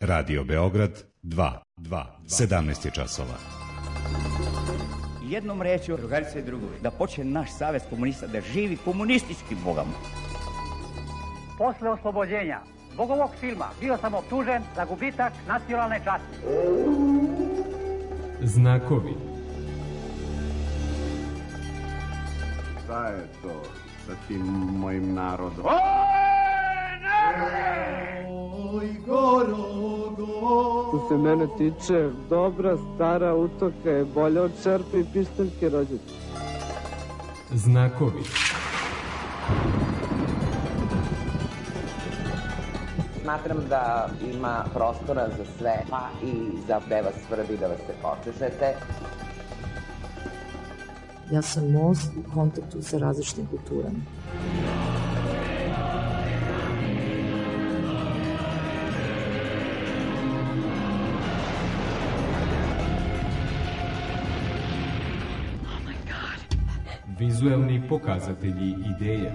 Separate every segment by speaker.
Speaker 1: Radio Beograd 2, 17 je časova.
Speaker 2: Jednom rečju, drugarice i drugovi, da počne naš savez komunista da živi komunistički, Boga mu.
Speaker 3: Posle oslobođenja zbog ovog filma bio sam optužen za gubitak nacionalne časti.
Speaker 4: Znakovi.
Speaker 5: Šta je to sa tim mojim narodom?
Speaker 6: Oj, Gorogo!
Speaker 7: Što se mene tiče, dobra stara utoka je bolja od čerpe i pištaljke rođete.
Speaker 4: Znakovi.
Speaker 8: Smatram da ima prostora za sve, pa i za gde vas svrbi da vas se počešete.
Speaker 9: Ja sam most u kontaktu sa različitim kulturama.
Speaker 4: Vizuelni pokazatelji ideje.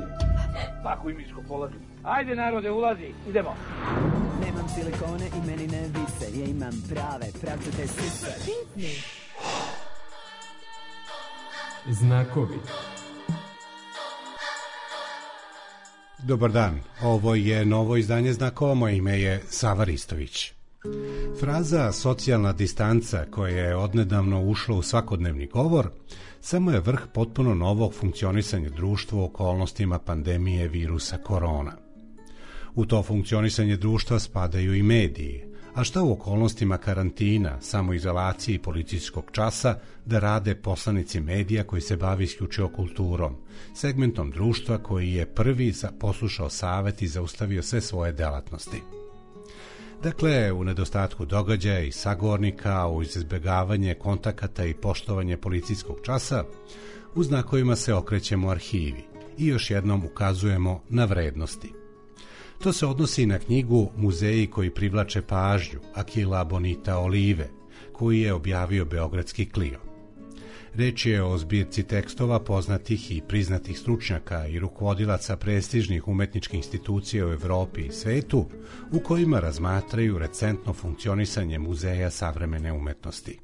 Speaker 3: Pakuj miško, polazi. Ajde narode, ulazi, idemo.
Speaker 10: Nemam silikone i meni ne vise, ja imam prave, pravcate sise.
Speaker 4: Znakovi.
Speaker 11: Dobar dan, ovo je novo izdanje Znakova, moje ime je Sava Ristović. Fraza socijalna distanca koja je odnedavno ušla u svakodnevni govor samo je vrh potpuno novog funkcionisanja društva u okolnostima pandemije virusa korona. U to funkcionisanje društva spadaju i mediji, a šta u okolnostima karantina, samoizolacije i policijskog časa da rade poslanici medija koji se bavi isključivo kulturom, segmentom društva koji je prvi poslušao savet i zaustavio sve svoje delatnosti. Dakle, u nedostatku događaja i sagovornika, uz izbjegavanje kontakata i poštovanje policijskog časa, u Znakovima se okrećemo arhivi i još jednom ukazujemo na vrednosti. To se odnosi na knjigu Muzeji koji privlače pažnju Akila Bonita Olive, koji je objavio beogradski Clio. Reč je o zbirci tekstova poznatih i priznatih stručnjaka i rukovodilaca prestižnih umetničkih institucija u Evropi i svetu, u kojima razmatraju recentno funkcionisanje muzeja savremene umetnosti.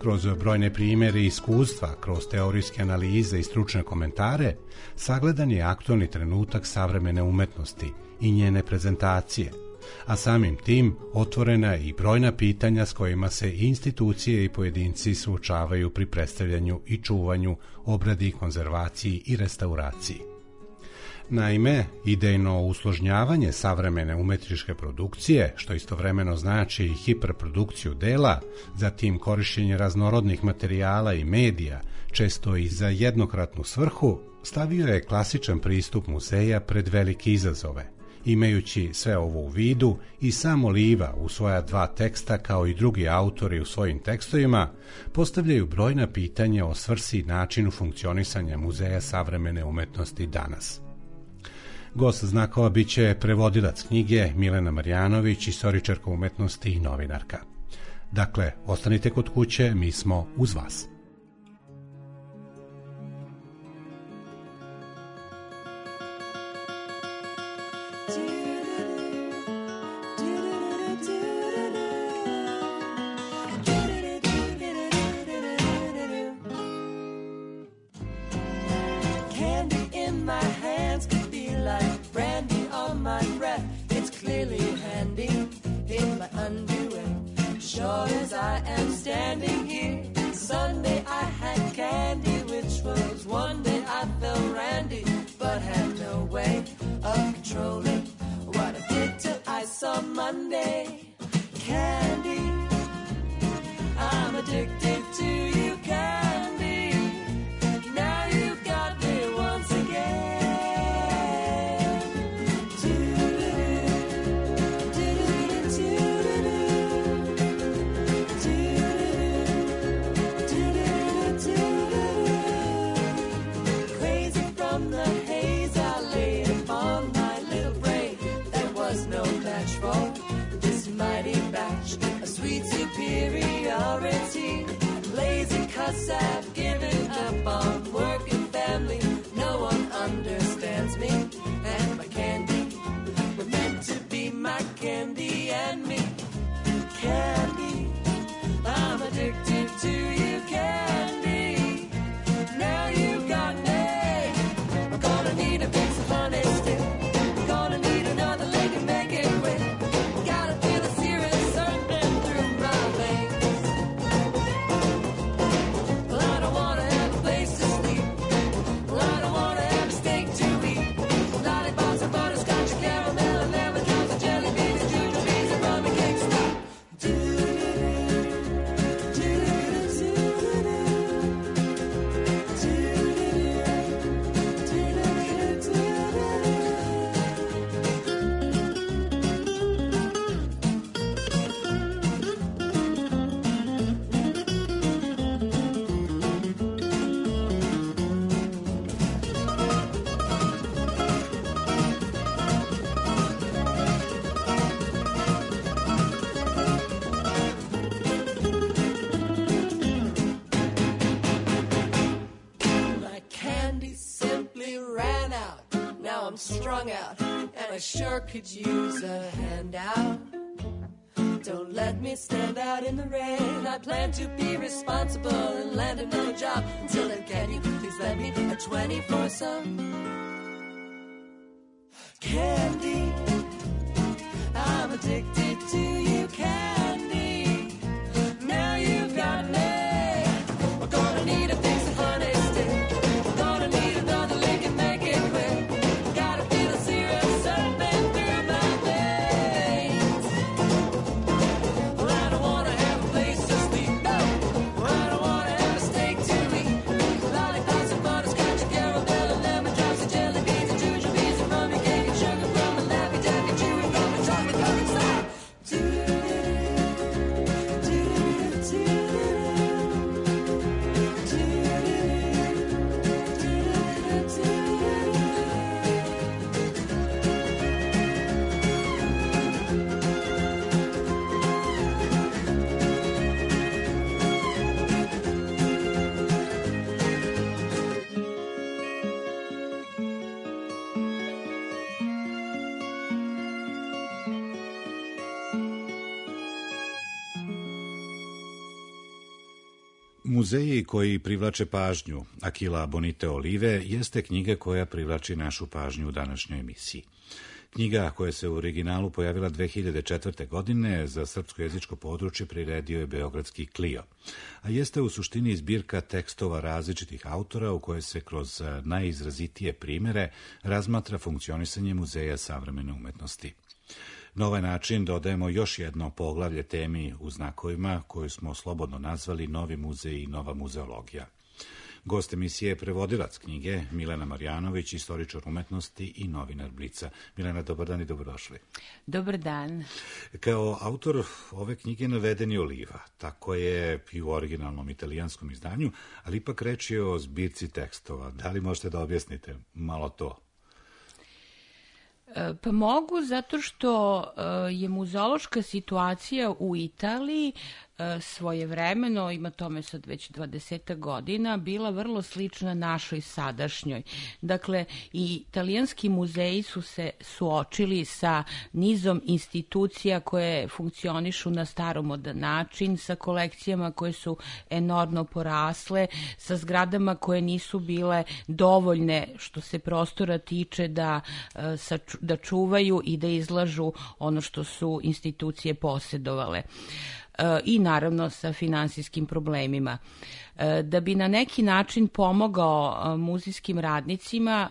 Speaker 11: Kroz brojne primjere i iskustva, kroz teorijske analize i stručne komentare, sagledan je aktualni trenutak savremene umetnosti i njene prezentacije, a samim tim otvorena i brojna pitanja s kojima se institucije i pojedinci suočavaju pri predstavljanju i čuvanju, obradi, konzervaciji i restauraciji. Naime, idejno usložnjavanje savremene umetničke produkcije, što istovremeno znači i hiperprodukciju dela, zatim korišćenje raznorodnih materijala i medija, često i za jednokratnu svrhu, stavio je klasičan pristup muzeja pred velike izazove. Imajući sve ovo u vidu, i sam Oliva u svoja dva teksta, kao i drugi autori u svojim tekstovima, postavljaju brojna pitanja o svrsi i načinu funkcionisanja muzeja savremene umetnosti danas. Gost Znakova biće prevodilac knjige Milena Marjanović, istoričarka umetnosti i novinarka. Dakle, ostanite kod kuće, mi smo uz vas.
Speaker 12: understands me and my candy. We're meant to be my candy and me. I'm strung out, and I sure could use a handout. Don't let me stand out in the rain. I plan to be responsible and land another job. Until then, can you please lend me a 20 for some candy? I'm addicted to you, candy. Now you've got me. We're gonna need a fix of honey stick. We're gonna need another lick and make it quick. Gotta feel the syrup surfing through my veins. Well, I don't wanna have a place to sleep, no. Well, I don't wanna have a steak to eat. Lollipops and butterscotch and caramel and lemon drops and jelly beans and jujubes and rummy cake and sugar from a Laffy Taffy chewing gum and chocolate covered slime.
Speaker 1: Muzeji koji privlače pažnju Akila Bonite Olive jeste knjiga koja privlači našu pažnju u današnjoj emisiji. Knjiga koja se u originalu pojavila 2004. godine za srpsko-jezičko područje priredio je beogradski Clio, a jeste u suštini zbirka tekstova različitih autora u kojoj se kroz najizrazitije primere razmatra funkcionisanje Muzeja savremene umetnosti. Na ovaj način dodajemo još jedno poglavlje temi u znakovima koju smo slobodno nazvali Novi muzej i nova muzeologija. Gost emisije je prevodilac knjige Milena Marjanović, istoričar umetnosti i novinar Blica. Milena, dobar dan i dobrodošli.
Speaker 13: Dobar dan.
Speaker 1: Kao autor ove knjige naveden je Oliva, tako je i u originalnom italijanskom izdanju, ali ipak reč je o zbirci tekstova. Da li možete da objasnite malo to?
Speaker 13: Pa mogu, zato što je muzeološka situacija u Italiji svojevremeno, ima tome sad već 20 godina, bila vrlo slična našoj sadašnjoj. Dakle, i italijanski muzeji su se suočili sa nizom institucija koje funkcionišu na staromodan način, sa kolekcijama koje su enormno porasle, sa zgradama koje nisu bile dovoljne što se prostora tiče da čuvaju i da izlažu ono što su institucije posedovale. I naravno sa finansijskim problemima. Da bi na neki način pomogao muzejskim radnicima,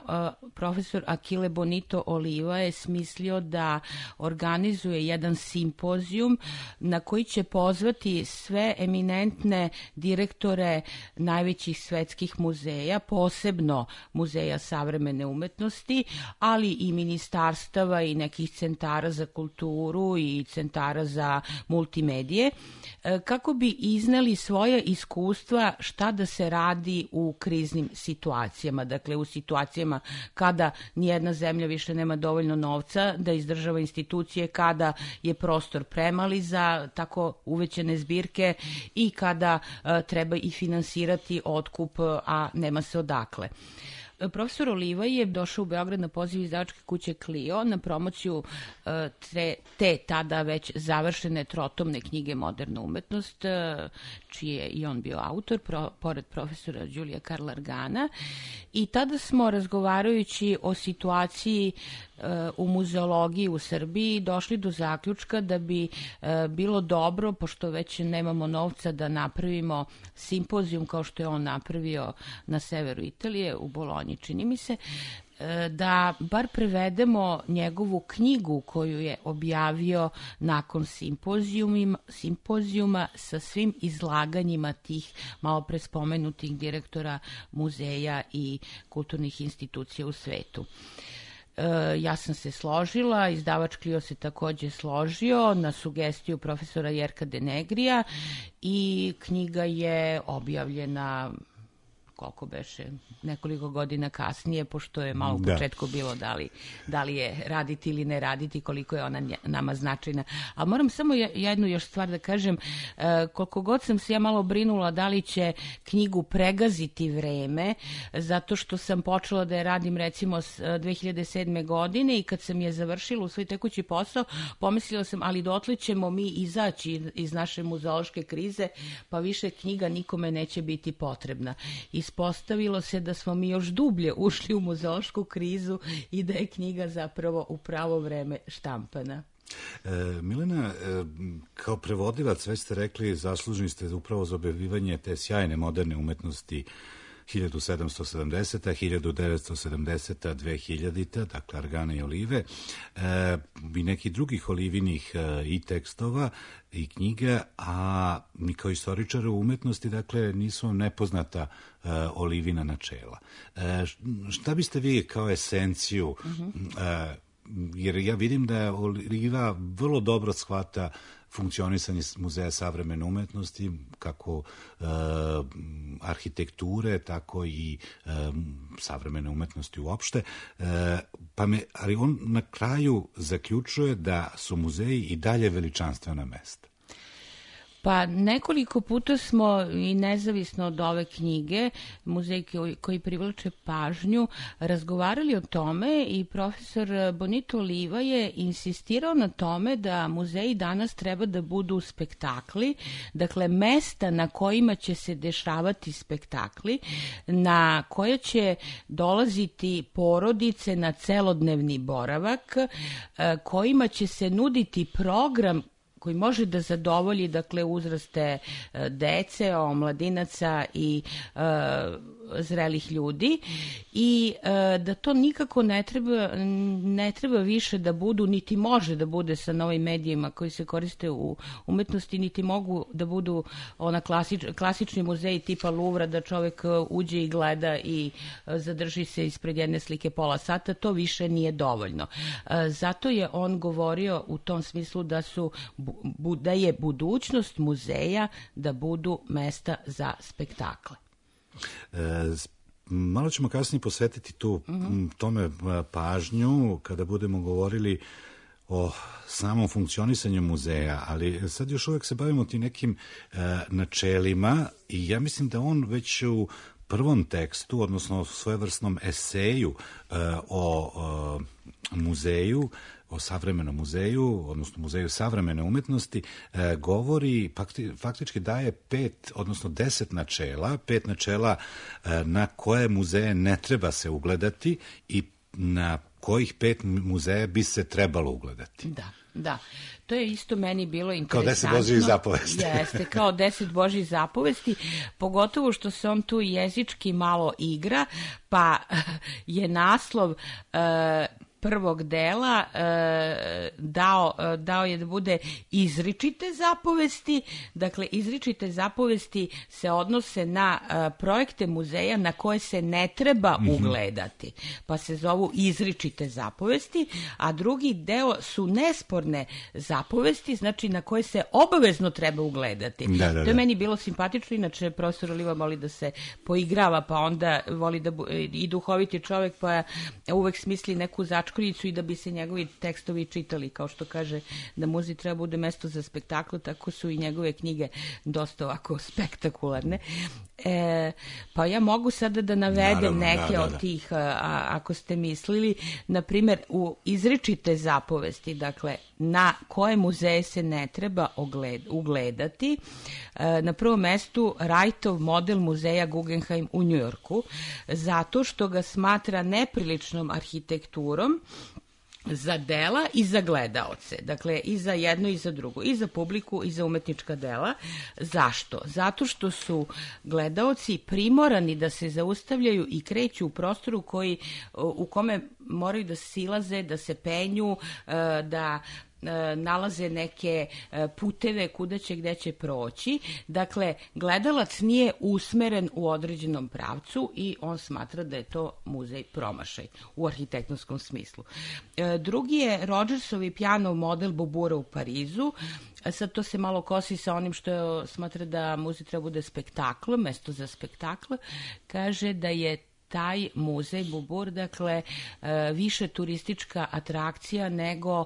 Speaker 13: profesor Achille Bonito Oliva je smislio da organizuje jedan simpozijum na koji će pozvati sve eminentne direktore najvećih svetskih muzeja, posebno Muzeja savremene umetnosti, ali i ministarstava i nekih centara za kulturu i centara za multimedije, kako bi izneli svoja iskustva šta da se radi u kriznim situacijama, dakle u situacijama kada nijedna zemlja više nema dovoljno novca da izdržava institucije, kada je prostor premali za tako uvećane zbirke i kada treba i finansirati otkup, a nema se odakle. Profesor Oliva je došao u Beograd na poziv izdavačke kuće Clio na promociju te tada već završene trotomne knjige Moderna umetnost, čiji je i on bio autor, pored profesora Đulija Karla Argana. I tada smo, razgovarajući o situaciji u muzeologiji u Srbiji, došli do zaključka da bi bilo dobro, pošto već nemamo novca, da napravimo simpozijum kao što je on napravio na severu Italije, u Bolonji, čini mi se, da bar prevedemo njegovu knjigu koju je objavio nakon simpozijuma sa svim izlaganjima tih malo pre spomenutih direktora muzeja i kulturnih institucija u svetu. Ja sam se složila, izdavač Clio se takođe složio na sugestiju profesora Jerka Denegrija i knjiga je objavljena koliko beše, nekoliko godina kasnije, pošto je malo u početku bilo da li je raditi ili ne raditi, koliko je ona nama značajna. A moram samo jednu još stvar da kažem, koliko god sam se ja malo brinula da li će knjigu pregaziti vreme, zato što sam počela da je radim recimo 2007. godine i kad sam je završila u svoj tekući posao, pomislila sam, ali dotle ćemo mi izaći iz naše muzeološke krize, pa više knjiga nikome neće biti potrebna. Ispostavilo se da smo mi još dublje ušli u muzeološku krizu i da je knjiga zapravo u pravo vreme štampana.
Speaker 1: Milena, kao prevodilac, već ste rekli, zaslužni ste upravo za objavljivanje te sjajne moderne umetnosti 1770. 1970. 2000. Dakle, Argana i Olive i nekih drugih Olivinih i tekstova i knjiga, a mi kao istoričari umetnosti, dakle, nisu vam nepoznata Olivina načela. Šta biste vi kao esenciju, jer ja vidim da Oliva vrlo dobro shvata funkcionisanje Muzeja savremene umetnosti, kako arhitekture, tako i savremene umetnosti uopšte. Ali on na kraju zaključuje da su muzeji i dalje veličanstvena mesta.
Speaker 13: Pa nekoliko puta smo i nezavisno od ove knjige, muzej koji privlače pažnju, razgovarali o tome i profesor Bonito Oliva je insistirao na tome da muzeji danas treba da budu spektakli, dakle mesta na kojima će se dešavati spektakli, na koje će dolaziti porodice na celodnevni boravak, kojima će se nuditi program koji može da zadovolji, dakle, uzraste dece, omladinaca i zrelih ljudi i da to nikako ne treba više da budu, niti može da bude sa novim medijima koji se koriste u umetnosti, niti mogu da budu ona klasični muzeji tipa Luvra, da čovek uđe i gleda i zadrži se ispred jedne slike pola sata, to više nije dovoljno. Zato je on govorio u tom smislu da je budućnost muzeja da budu mesta za spektakle.
Speaker 1: Malo ćemo kasnije posvetiti tome pažnju kada budemo govorili o samom funkcionisanju muzeja, ali sad još uvek se bavimo tim nekim načelima i ja mislim da on već u prvom tekstu, odnosno svojevrsnom eseju o muzeju, o savremenom muzeju, odnosno muzeju savremene umetnosti, govori, faktički daje 5, odnosno 10 načela, 5 načela na koje muzeje ne treba se ugledati i na kojih 5 muzeja bi se trebalo ugledati.
Speaker 13: Da. To je isto meni bilo interesantno.
Speaker 1: Kao 10 Božjih zapovesti.
Speaker 13: Jeste, kao 10 Božjih zapovesti, pogotovo što se on tu jezički malo igra, pa je naslov prvog dela dao je da bude izričite zapovesti. Dakle, izričite zapovesti se odnose na projekte muzeja na koje se ne treba ugledati, pa se zovu izričite zapovesti, a drugi deo su nesporne zapovesti, znači na koje se obavezno treba ugledati. To je meni bilo simpatično, inače profesor Oliva voli da se poigrava, pa onda voli da i duhoviti čovek, pa uvek smisli neku začkoljicu i da bi se njegovi tekstovi čitali, kao što kaže da muzej treba bude mesto za spektakl, tako su i njegove knjige dosta ovako spektakularne. Pa ja mogu sada da navedem neke od tih, ako ste mislili, na primjer u izričite zapovesti, dakle, na koje muzeje se ne treba ugledati. Na prvom mestu Wrightov model muzeja Guggenheim u Njujorku, zato što ga smatra nepriličnom arhitekturom za dela i za gledaoce. Dakle, i za jedno i za drugo. I za publiku i za umetnička dela. Zašto? Zato što su gledaoci primorani da se zaustavljaju i kreću u prostoru u kome moraju da silaze, da se penju, da nalaze neke puteve kuda će, gde će proći. Dakle, gledalac nije usmeren u određenom pravcu i on smatra da je to muzej promašaj u arhitektonskom smislu. Drugi je Rodgersovi pijanov model Bobura u Parizu. Sad to se malo kosi sa onim što smatra da muzej treba bude spektakl, mesto za spektakl. Kaže da je taj muzej Bobur, dakle, više turistička atrakcija nego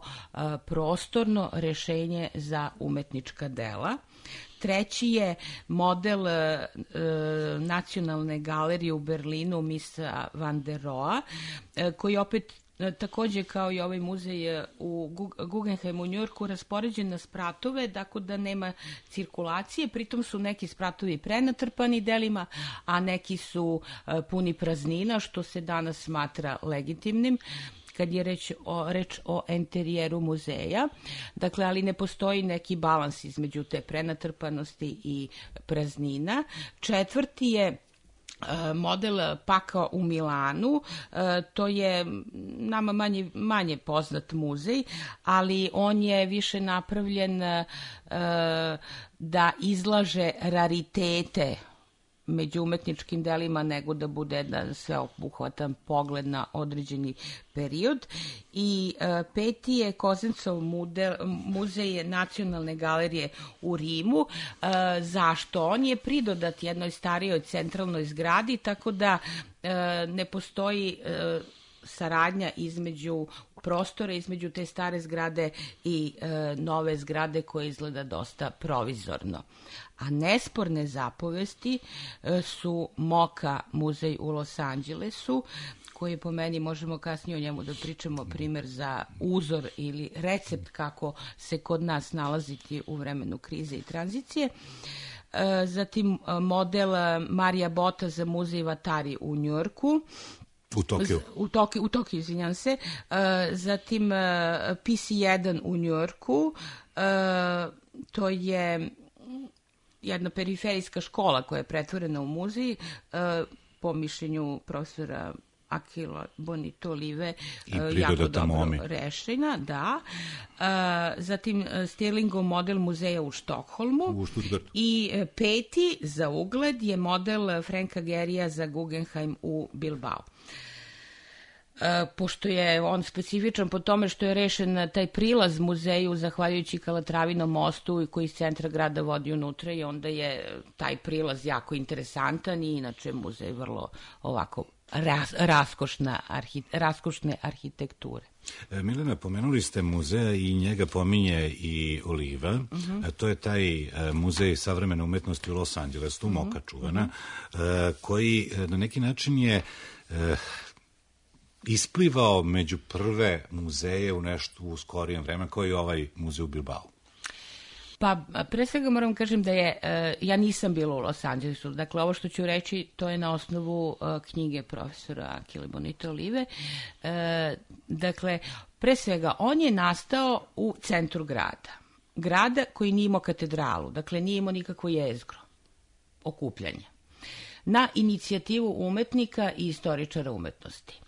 Speaker 13: prostorno rešenje za umetnička dela. Treći je model Nacionalne galerije u Berlinu Misa van der Rohe, koji opet takođe kao i ovaj muzej u Guggenheimu u Njujorku raspoređen na spratove, tako da nema cirkulacije, pritom su neki spratovi prenatrpani delima, a neki su puni praznina, što se danas smatra legitimnim kad je reč o enterijeru muzeja. Dakle, ali ne postoji neki balans između te prenatrpanosti i praznina. Četvrti je model Paka u Milanu. To je nama manje poznat muzej, ali on je više napravljen da izlaže raritete među umetničkim delima nego da bude jedan sveobuhvatan pogled na određeni period. I peti je Kozencov muzej Nacionalne galerije u Rimu. Zašto? On je pridodat jednoj starijoj centralnoj zgradi, tako da ne postoji saradnja između prostora, između te stare zgrade i nove zgrade koja izgleda dosta provizorno. A nesporne zapovesti su MoCA muzej u Los Angelesu, koji po meni, možemo kasnije o njemu da pričamo, primer za uzor ili recept kako se kod nas nalaziti u vremenu krize i tranzicije. Zatim model Marija Bota za muzej Vatari u Njujorku, u Tokiju, izvinjam se. Zatim PC1 u Njujorku, to je jedna periferijska škola koja je pretvorena u muzej, po mišljenju profesora Akila Bonito Olive, jako dobro rešena, da. Zatim Stirlingov model muzeja u Štokholmu. I peti za ugled je model Franka Gerija za Guggenheim u Bilbao. Pošto je on specifičan po tome što je rešen taj prilaz muzeju zahvaljujući Kalatravinom mostu koji iz centra grada vodi unutra, i onda je taj prilaz jako interesantan i inače muzej vrlo ovako raskošne arhitekture.
Speaker 1: Milena, pomenuli ste muzeja i njega pominje i Oliva. To je taj muzej savremene umetnosti u Los Angelesu, MoCA čuvana, koji na neki način je isplivao među prve muzeje u nešto u skorijem vremenu, koji je ovaj muzej u Bilbao.
Speaker 13: Pa, pre svega moram kažem da je, ja nisam bila u Los Angelesu, dakle ovo što ću reći to je na osnovu knjige profesora Akile Bonito Olive. Dakle, pre svega on je nastao u centru grada koji nije imao katedralu, dakle nije imao nikakvo jezgro okupljanja, na inicijativu umetnika i istoričara umetnosti,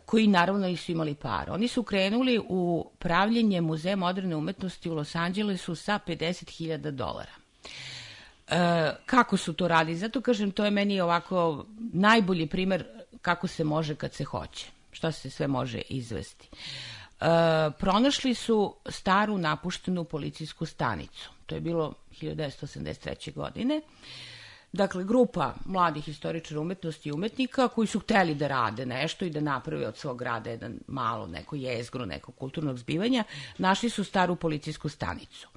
Speaker 13: koji naravno nisu imali para. Oni su krenuli u pravljenje muzeja moderne umetnosti u Los Angelesu sa $50,000. Kako su to radili? Zato kažem, to je meni ovako najbolji primer kako se može kad se hoće. Šta se sve može izvesti. Pronašli su staru napuštenu policijsku stanicu. To je bilo 1983. godine. Dakle, grupa mladih istoričara umetnosti i umetnika koji su hteli da rade nešto i da naprave od svog grada jedan malo neko jezgro, neko kulturnog zbivanja, našli su staru policijsku stanicu,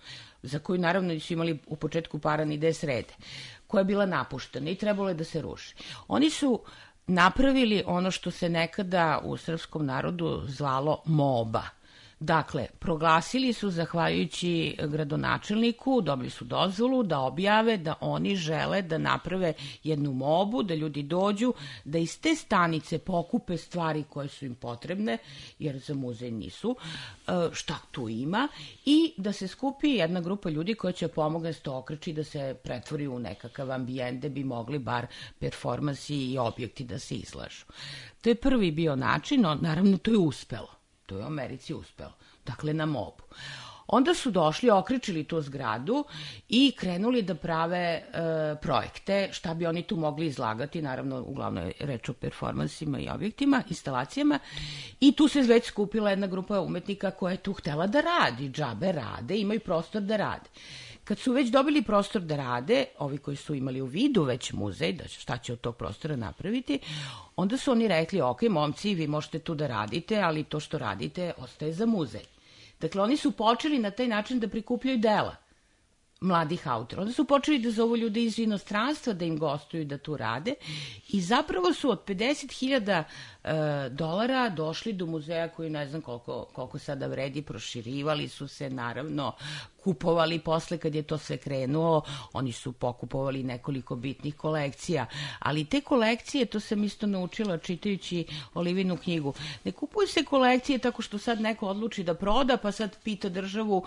Speaker 13: za koju naravno nisu imali u početku para ni da je srede, koja je bila napuštena i trebalo je da se ruši. Oni su napravili ono što se nekada u srpskom narodu zvalo moba. Dakle, proglasili su, zahvaljujući gradonačelniku, dobili su dozvolu da objave da oni žele da naprave jednu mobu, da ljudi dođu, da iz te stanice pokupe stvari koje su im potrebne, jer za muzej nisu, šta tu ima, i da se skupi jedna grupa ljudi koja će pomogne s to okreći da se pretvori u nekakav ambijent da bi mogli bar performansi i objekti da se izlažu. To je prvi bio način, no naravno to je uspelo. To je u Americi uspelo. dakle na MOB-u. Onda su došli, okrećili tu zgradu i krenuli da prave projekte, šta bi oni tu mogli izlagati, naravno uglavnom je reč o performansima i objektima, instalacijama, i tu se već skupila jedna grupa umetnika koja je tu htela da radi, džabe rade, imaju prostor da rade. Kad su već dobili prostor da rade, ovi koji su imali u vidu već muzej, da šta će od tog prostora napraviti, onda su oni rekli, ok, momci, vi možete tu da radite, ali to što radite ostaje za muzej. Dakle, oni su počeli na taj način da prikupljaju dela mladih autora. Onda su počeli da zovu ljude iz inostranstva da im gostuju da tu rade i zapravo su od $50.000 došli do muzeja koji ne znam koliko sada vredi, proširivali su se, naravno, kupovali posle kad je to sve krenuo, oni su pokupovali nekoliko bitnih kolekcija, ali te kolekcije, to sam isto naučila čitajući Olivinu knjigu, ne kupuju se kolekcije tako što sad neko odluči da proda, pa sad pita državu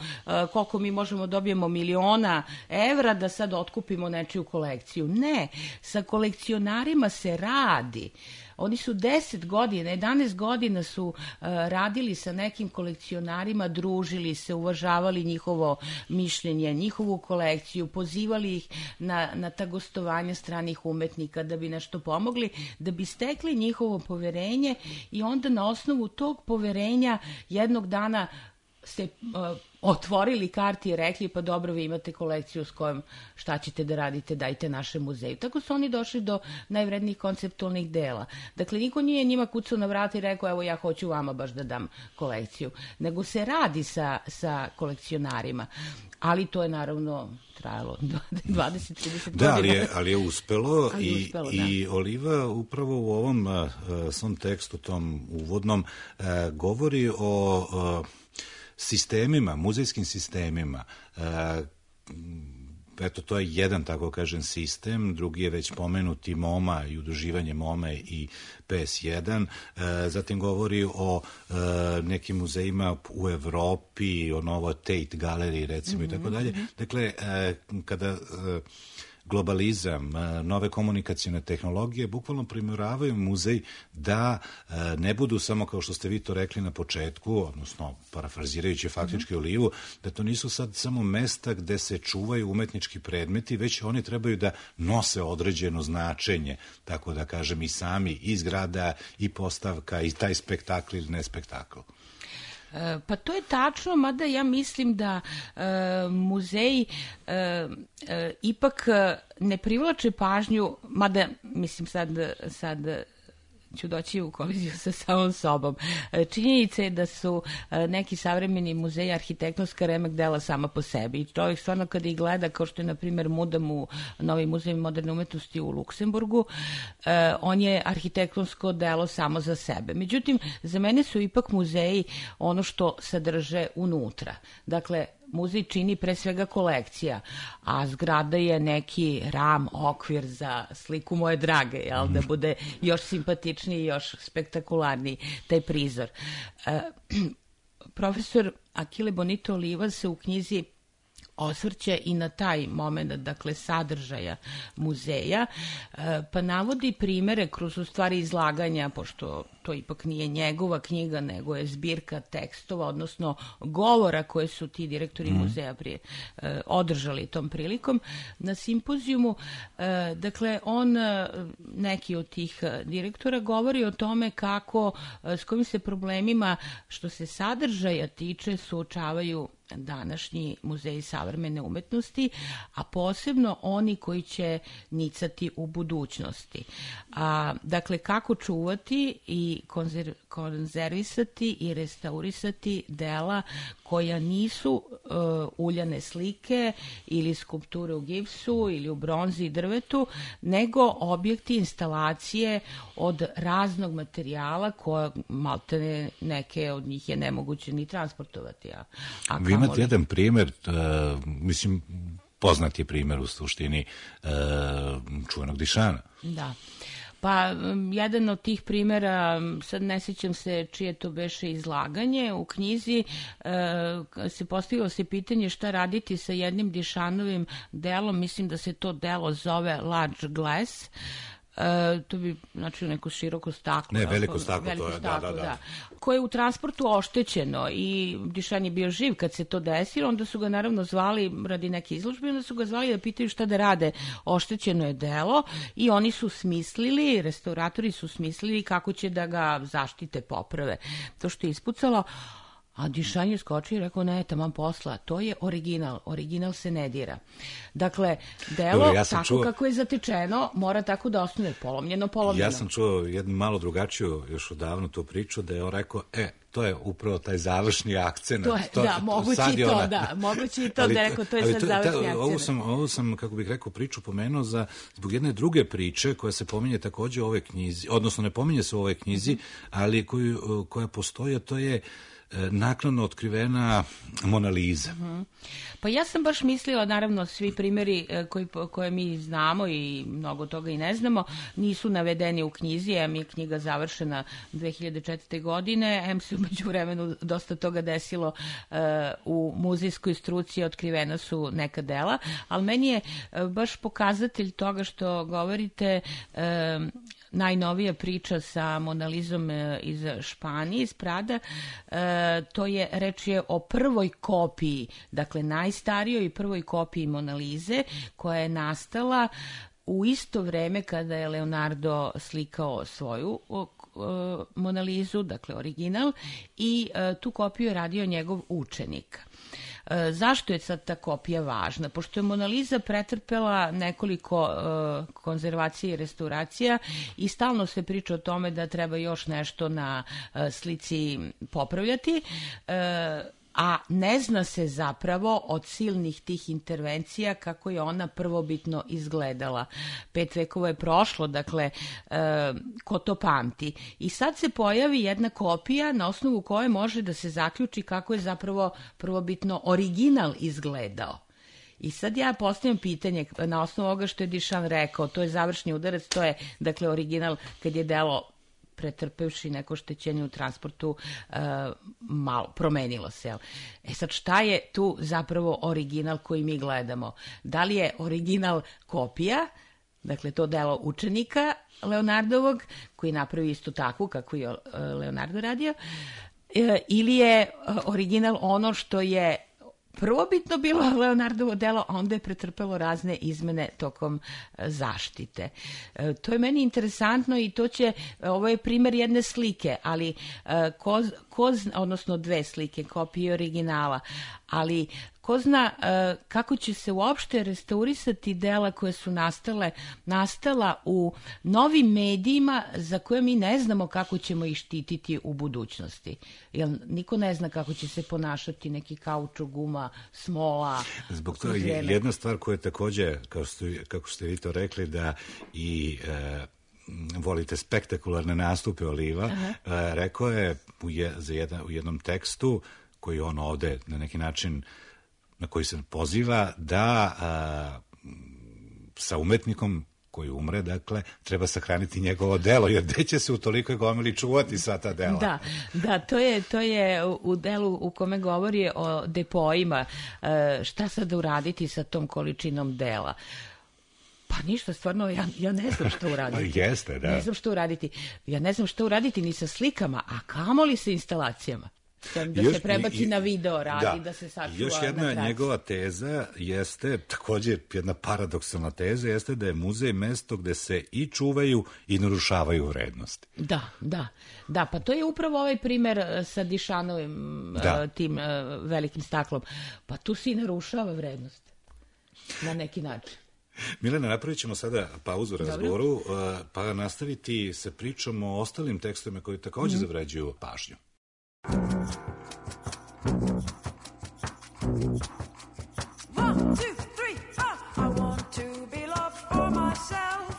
Speaker 13: koliko mi možemo dobijemo miliona evra da sad otkupimo nečiju kolekciju. Ne, sa kolekcionarima se radi. Oni su 10 godina, 11 godina su radili sa nekim kolekcionarima, družili se, uvažavali njihovo mišljenje, njihovu kolekciju, pozivali ih na ta gostovanja stranih umetnika da bi nešto pomogli, da bi stekli njihovo poverenje i onda na osnovu tog poverenja jednog dana se otvorili karti i rekli, pa dobro, vi imate kolekciju s kojom šta ćete da radite, dajte našem muzeju. Tako su oni došli do najvrednijih konceptualnih dela. Dakle, niko nije njima kucao na vrata i rekao, evo ja hoću vama baš da dam kolekciju, nego se radi sa kolekcionarima. Ali to je naravno trajalo 20-30 godina.
Speaker 1: Da, ali je uspelo, i Oliva upravo u ovom svom tekstu, tom uvodnom, govori o sistemima, muzejskim sistemima. Eto, to je jedan, tako kažem, sistem, drugi je već pomenuti MoMA i udruživanje MoMA i PS1, zatim govori o nekim muzejima u Evropi, o Novoj Tate galeriji, recimo, i tako dalje. Dakle, kada globalizam, nove komunikacijne tehnologije bukvalno primoravaju muzej da ne budu samo, kao što ste vi to rekli na početku, odnosno parafrazirajući faktički Olivu, da to nisu sad samo mesta gde se čuvaju umetnički predmeti, već oni trebaju da nose određeno značenje, tako da kažem, i sami, i zgrada, i postavka, i taj spektakl ili ne spektakl.
Speaker 13: Pa to je tačno, mada ja mislim da muzeji ipak ne privlače pažnju, mada mislim sad ću doći u koliziju sa samom sobom. Činjenica je da su neki savremeni muzeji arhitektonska remek dela sama po sebi i čovjek stvarno kada ih gleda, kao što je na primjer Mudam u Novi muzej moderne umetnosti u Luksemburgu, on je arhitektonsko delo samo za sebe. Međutim, za mene su ipak muzeji ono što sadrže unutra. Dakle, muzej čini pre svega kolekcija, a zgrada je neki ram, okvir za sliku moje drage, jel, da bude još simpatičniji, još spektakularniji taj prizor. Profesor Achille Bonito Oliva se u knjizi osvrće i na taj moment, dakle, sadržaja muzeja, pa navodi primere kroz u stvari izlaganja, pošto to ipak nije njegova knjiga, nego je zbirka tekstova, odnosno govora koje su ti direktori muzeja prije održali tom prilikom na simpozijumu. Dakle, on, neki od tih direktora, govori o tome kako, s kojim se problemima što se sadržaja tiče suočavaju današnji muzeji savremene umetnosti, a posebno oni koji će nicati u budućnosti. Dakle, kako čuvati i konzervisati i restaurisati dela koja nisu uljane slike ili skulpture u gipsu ili u bronzi i drvetu, nego objekti, instalacije od raznog materijala koja maltene neke od njih je nemoguće ni transportovati.
Speaker 1: Vi imate jedan primjer, mislim, poznat je primjer u suštini čuvenog Dišana. Da.
Speaker 13: Pa, jedan od tih primjera, sad ne sjećam se čije to beše izlaganje, u knjizi se postavilo se pitanje šta raditi sa jednim Dišanovim delom, mislim da se to delo zove Large Glass, To bi znači neko široko staklo.
Speaker 1: Ne, veliko staklo, to je, da.
Speaker 13: Koje je u transportu oštećeno i Dišan je bio živ kad se to desilo, onda su ga naravno zvali radi neke izložbe, onda su ga zvali da pitaju šta da rade. Oštećeno je delo i oni su smislili, restauratori su smislili kako će da ga zaštite, poprave. To što je ispucalo, a Dišan je skočio i rekao, ne, taman posla, to je original se ne dira. Dakle, delo tako kako je zatečeno mora tako da ostane polomljeno.
Speaker 1: Ja sam čuo jednu malo drugačiju još odavno tu priču da je on rekao, to je upravo taj završni akcent.
Speaker 13: Moguće i to da je rekao, to je sad završni akcent.
Speaker 1: Ovo sam, kako bih rekao, priču pomenuo zbog jedne druge priče koja se pominje takođe u ovoj knjizi, odnosno ne pominje se u ovoj knjizi, ali koja postoji, a to je naknadno otkrivena Mona Lisa.
Speaker 13: Pa ja sam baš mislila, naravno, svi primjeri koje mi znamo i mnogo toga i ne znamo, nisu navedeni u knjizi, em je knjiga završena 2004. godine, em se umeđu vremenu dosta toga desilo u muzejskoj struci, otkrivena su neka dela, ali meni je baš pokazatelj toga što govorite najnovija priča sa Mona Lisom iz Španije, iz Prada, reč je o prvoj kopiji, dakle najstarijoj prvoj kopiji Mona Lise, koja je nastala u isto vreme kada je Leonardo slikao svoju Mona Lisu, dakle original, i tu kopiju je radio njegov učenik. Zašto je sad ta kopija važna? Pošto je Mona Lisa pretrpela nekoliko konzervacija i restauracija i stalno se priča o tome da treba još nešto na slici popravljati, a ne zna se zapravo od silnih tih intervencija kako je ona prvobitno izgledala. 5 vekova je prošlo, dakle, ko to pamti. I sad se pojavi jedna kopija na osnovu koje može da se zaključi kako je zapravo prvobitno original izgledao. I sad ja postavljam pitanje na osnovu ovoga što je Dišan rekao, to je završni udarac, to je, dakle, original kad je delo pretrpevši neko štećenje u transportu, malo promenilo se. Sad šta je tu zapravo original koji mi gledamo? Da li je original kopija, dakle to delo učenika Leonardovog, koji napravi isto takvu kako je Leonardo radio, ili je original ono što je prvobitno bilo Leonardovo delo, a onda je pretrpelo razne izmene tokom zaštite. To je meni interesantno i ovo je primjer jedne slike, ali odnosno 2 slike, kopije originala, ali ko zna kako će se uopšte restaurisati dela koje su nastala u novim medijima za koje mi ne znamo kako ćemo ih štititi u budućnosti. Jer niko ne zna kako će se ponašati neki kaučuk, guma, smola.
Speaker 1: Zbog toga jedna stvar koja je takođe, kako ste vi to rekli, da i volite spektakularne nastupe Oliva, rekao je u jednom tekstu koji on ovde na neki način na koji se poziva da sa umetnikom koji umre, dakle, treba sahraniti njegovo delo, jer gde će se u tolikoj gomili čuvati sva ta dela?
Speaker 13: Da, to je u delu u kome govori o depoima, šta sad uraditi sa tom količinom dela. Pa ništa, stvarno, ja ne znam što uraditi.
Speaker 1: Jeste, da.
Speaker 13: Ne znam što uraditi. Ja ne znam što uraditi ni sa slikama, a kamoli sa instalacijama. Da se prebaci na video radi, da se sačuva.
Speaker 1: Još jedna njegova teza jeste, također jedna paradoksalna teza, jeste da je muzej mesto gde se i čuvaju i narušavaju vrednosti.
Speaker 13: Da, pa to je upravo ovaj primer sa Dišanovim tim velikim staklom. Pa tu se i narušava vrednost na neki način.
Speaker 1: Milena, napravit ćemo sada pauzu u razgovoru, pa nastaviti sa pričom o ostalim tekstovima koji također zavređuju pažnju.
Speaker 12: One, two, three, I want to be loved for myself.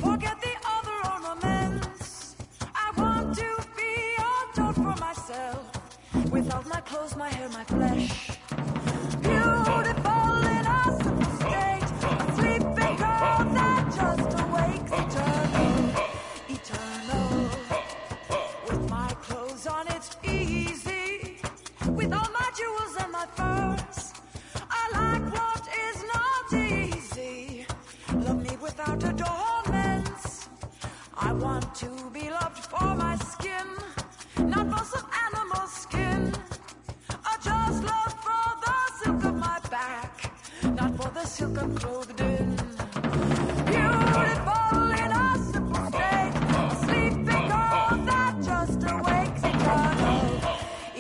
Speaker 12: Forget the other ornaments. I want to be adored for myself. Without my clothes, my hair, my flesh. Beautiful in a simple state. A sleeping girl that just awakes. Eternal. With my clothes on, it's easy. With all my jewels and my furs, silken clothed in. Beautiful in a simple state, a sleeping girl that just awakes. Eternal,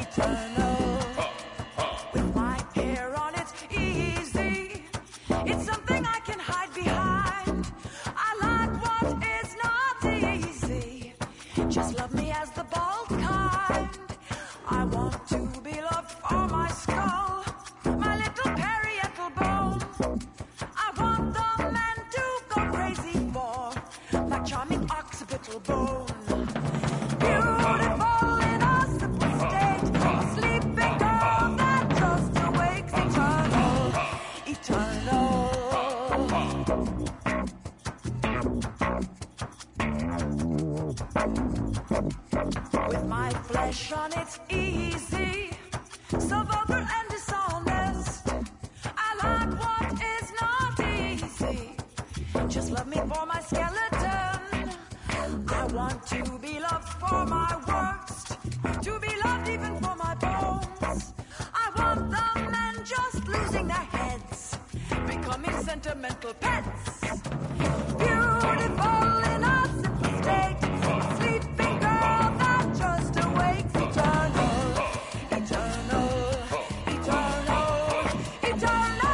Speaker 12: eternal, with my hair on its easy. It's something I can hide behind. I like what is not easy. Just love me as the bald kind. I want to be loved for my skull, my little parietal bone. I want the man to go crazy for my charming occipital bone. Beautiful in a simple state, a sleeping girl that just awakes. Eternal, eternal. With my flesh on its easy, so vulgar and dishonest. I like what is not easy. Just love me for my skeleton. I want to be loved for my worst, to be loved even for my bones. I want the men just losing their heads, becoming sentimental pets. Beautiful in a simple state, a sleeping girl that just awakes. Eternal, eternal, eternal, eternal.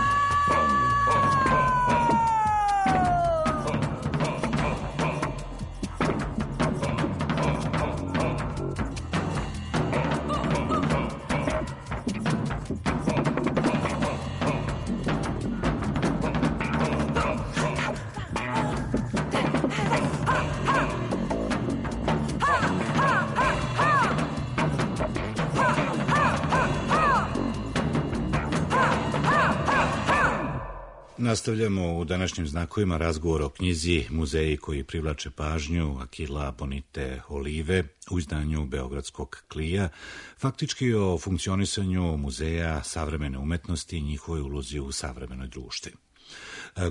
Speaker 1: Nastavljamo u današnjim znakovima razgovor o knjizi Muzeji koji privlače pažnju Akila Bonite Olive u izdanju Beogradskog Klija, faktički o funkcionisanju muzeja savremene umetnosti i njihovoj ulozi u savremenoj društvi.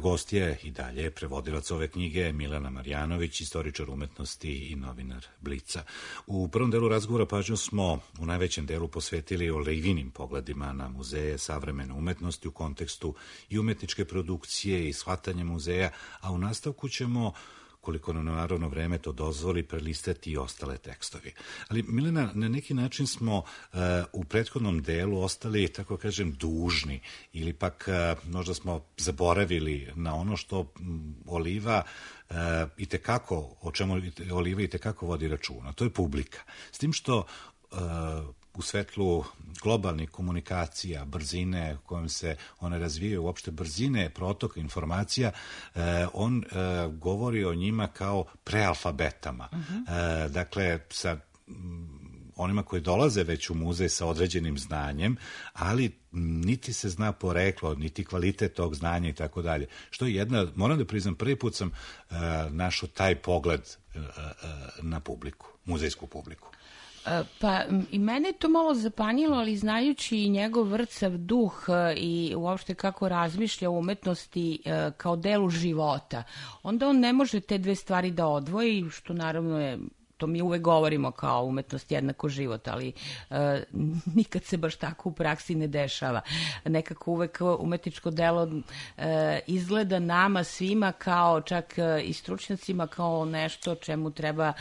Speaker 1: Gost je i dalje prevodilac ove knjige Milena Marjanović, istoričar umetnosti i novinar Blica. U prvom delu razgovora pažnju smo u najvećem delu posvetili Olivinim pogledima na muzeje savremene umetnosti u kontekstu i umetničke produkcije i shvatanja muzeja, a u nastavku ćemo, koliko nam naravno vreme to dozvoli, prelistati i ostale tekstovi. Ali, Milena, na neki način smo u prethodnom delu ostali, tako kažem, dužni ili pak možda smo zaboravili na ono što Oliva itekako, o čemu Oliva itekako vodi računa. To je publika. S tim što u svetlu globalnih komunikacija, brzine kojom se one razvijaju, uopšte brzine protoka informacija, on govori o njima kao prealfabetama. Dakle, sa onima koji dolaze već u muzej sa određenim znanjem, ali niti se zna poreklo, niti kvalitet tog znanja i tako dalje. Što je jedna, moram da priznam, prvi put sam našao taj pogled na publiku, muzejsku publiku.
Speaker 13: Pa i mene je to malo zapanjilo, ali znajući njegov vrcav duh i uopšte kako razmišlja o umetnosti kao delu života, onda on ne može te dve stvari da odvoji, što naravno je, to mi uvek govorimo kao umetnost jednako život, ali nikad se baš tako u praksi ne dešava. Nekako uvek umetničko delo izgleda nama svima kao čak i stručnjacima kao nešto čemu treba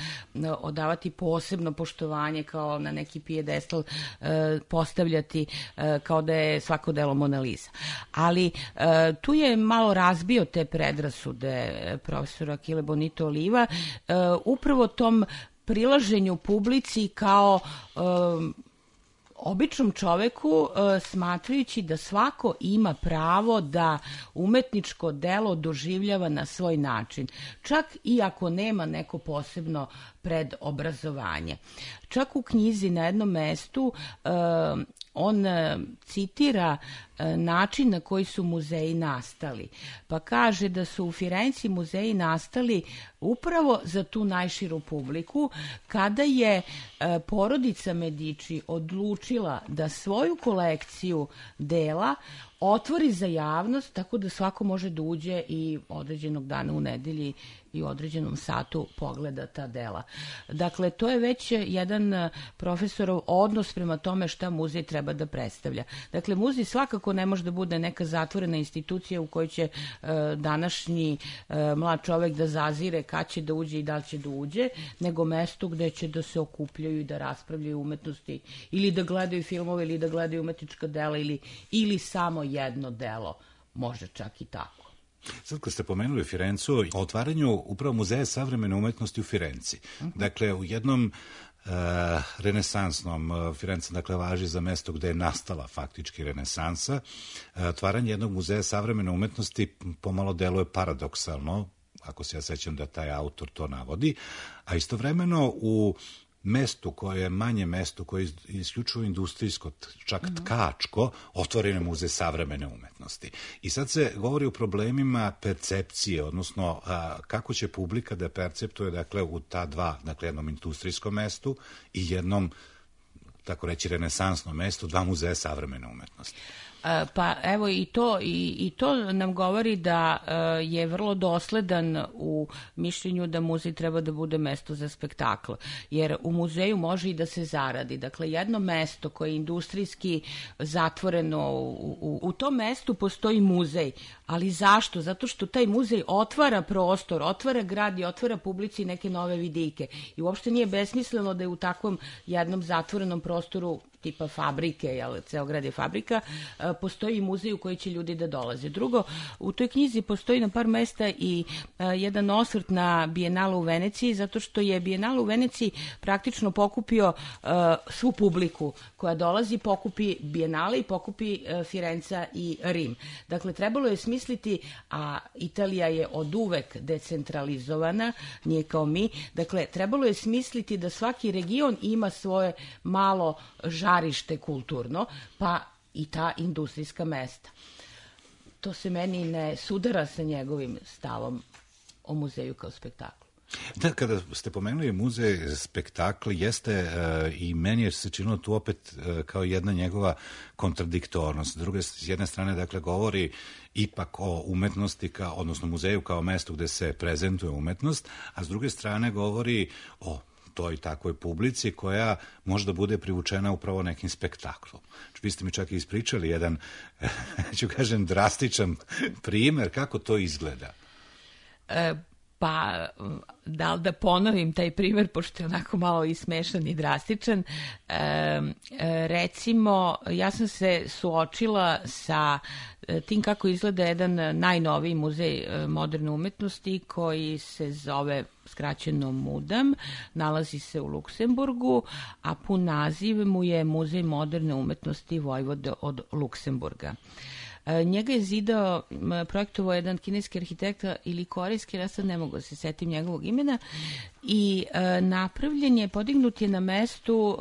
Speaker 13: odavati posebno poštovanje, kao na neki pijedestal postavljati kao da je svako delo Mona Lisa. Ali tu je malo razbio te predrasude profesora Akile Bonite Oliva upravo tom prilaženju publici kao običnom čoveku, smatrajući da svako ima pravo da umetničko delo doživljava na svoj način, čak i ako nema neko posebno predobrazovanje. Čak u knjizi na jednom mestu on citira način na koji su muzeji nastali. Pa kaže da su u Firenci muzeji nastali upravo za tu najširu publiku, kada je porodica Medici odlučila da svoju kolekciju dela otvori za javnost, tako da svako može da uđe i određenog dana u nedelji i u određenom satu pogleda ta dela. Dakle, to je već jedan profesorov odnos prema tome šta muzej treba da predstavlja. Dakle, muzej svakako ne može da bude neka zatvorena institucija u kojoj će današnji mlad čovek da zazire kad će da uđe i da li će da uđe, nego mesto gde će da se okupljaju i da raspravljaju umetnosti ili da gledaju filmove ili da gledaju umetnička dela ili samo jedno delo, može čak i tako.
Speaker 1: Sad kad ste pomenuli Firencu, o otvaranju upravo Muzeja savremene umetnosti u Firenci. Dakle, u jednom renesansnom, Firenca dakle važi za mesto gde je nastala faktički renesansa, otvaranje jednog muzeja savremene umetnosti pomalo deluje paradoksalno, ako se ja sećam da taj autor to navodi, a istovremeno u mestu koje je manje mesto, koje je isključivo industrijsko, čak tkačko, otvoren je muzej savremene umetnosti. I sad se govori o problemima percepcije, odnosno kako će publika da perceptuje, dakle, u ta dva, dakle, jednom industrijskom mestu i jednom, tako reći, renesansnom mestu, dva muzeja savremene umetnosti.
Speaker 13: Pa evo i to nam govori da je vrlo dosledan u mišljenju da muzej treba da bude mesto za spektakl, jer u muzeju može i da se zaradi. Dakle, jedno mesto koje je industrijski zatvoreno, u tom mestu postoji muzej, ali zašto? Zato što taj muzej otvara prostor, otvara grad i otvara publici neke nove vidike i uopšte nije besmisleno da je u takvom jednom zatvorenom prostoru tipa fabrike, jel, ceo grad je fabrika, postoji i muzej u koji će ljudi da dolaze. Drugo, u toj knjizi postoji na par mesta i jedan osvrt na Bijenalu u Veneciji, zato što je Bijenala u Veneciji praktično pokupio svu publiku koja dolazi, pokupi Bijenale i pokupi Firenca i Rim. Dakle, trebalo je smisliti, a Italija je od uvek decentralizovana, nije kao mi, dakle, trebalo je smisliti da svaki region ima svoje malo žarište kulturno, pa i ta industrijska mesta. To se meni ne sudara sa njegovim stavom o muzeju kao spektaklu.
Speaker 1: Da, kada ste pomenuli muzej spektakl, jeste i meni je se činilo tu opet kao jedna njegova kontradiktornost. S jedne strane, dakle, govori ipak o umetnosti, odnosno muzeju kao mestu gde se prezentuje umetnost, a s druge strane govori o toj takvoj publici koja možda bude privučena upravo nekim spektaklom. Vi ste mi čak i ispričali jedan, ću kažem, drastičan primer kako to izgleda.
Speaker 13: Pa, da li da ponovim taj primer, pošto je onako malo i smešan i drastičan. Recimo, ja sam se suočila sa tim kako izgleda jedan najnoviji muzej moderne umetnosti koji se zove skraćeno MUDAM, nalazi se u Luksemburgu, a pun naziv mu je Muzej moderne umetnosti Vojvode od Luksemburga. Njega je zidao, projektovao jedan kineski arhitekta ili korejski, ja sad ne mogu da se setim njegovog imena, i napravljen je, podignut je na mestu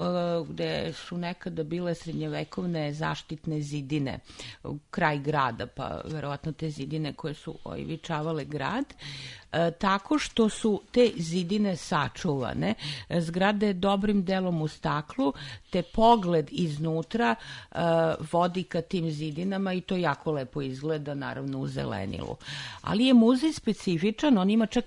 Speaker 13: gde su nekada bile srednjevekovne zaštitne zidine, kraj grada, pa verovatno te zidine koje su oivičavale grad, tako što su te zidine sačuvane, zgrada je dobrim delom u staklu, te pogled iznutra vodi ka tim zidinama i to jako lepo izgleda, naravno u zelenilu. Ali je muzej specifičan, on ima čak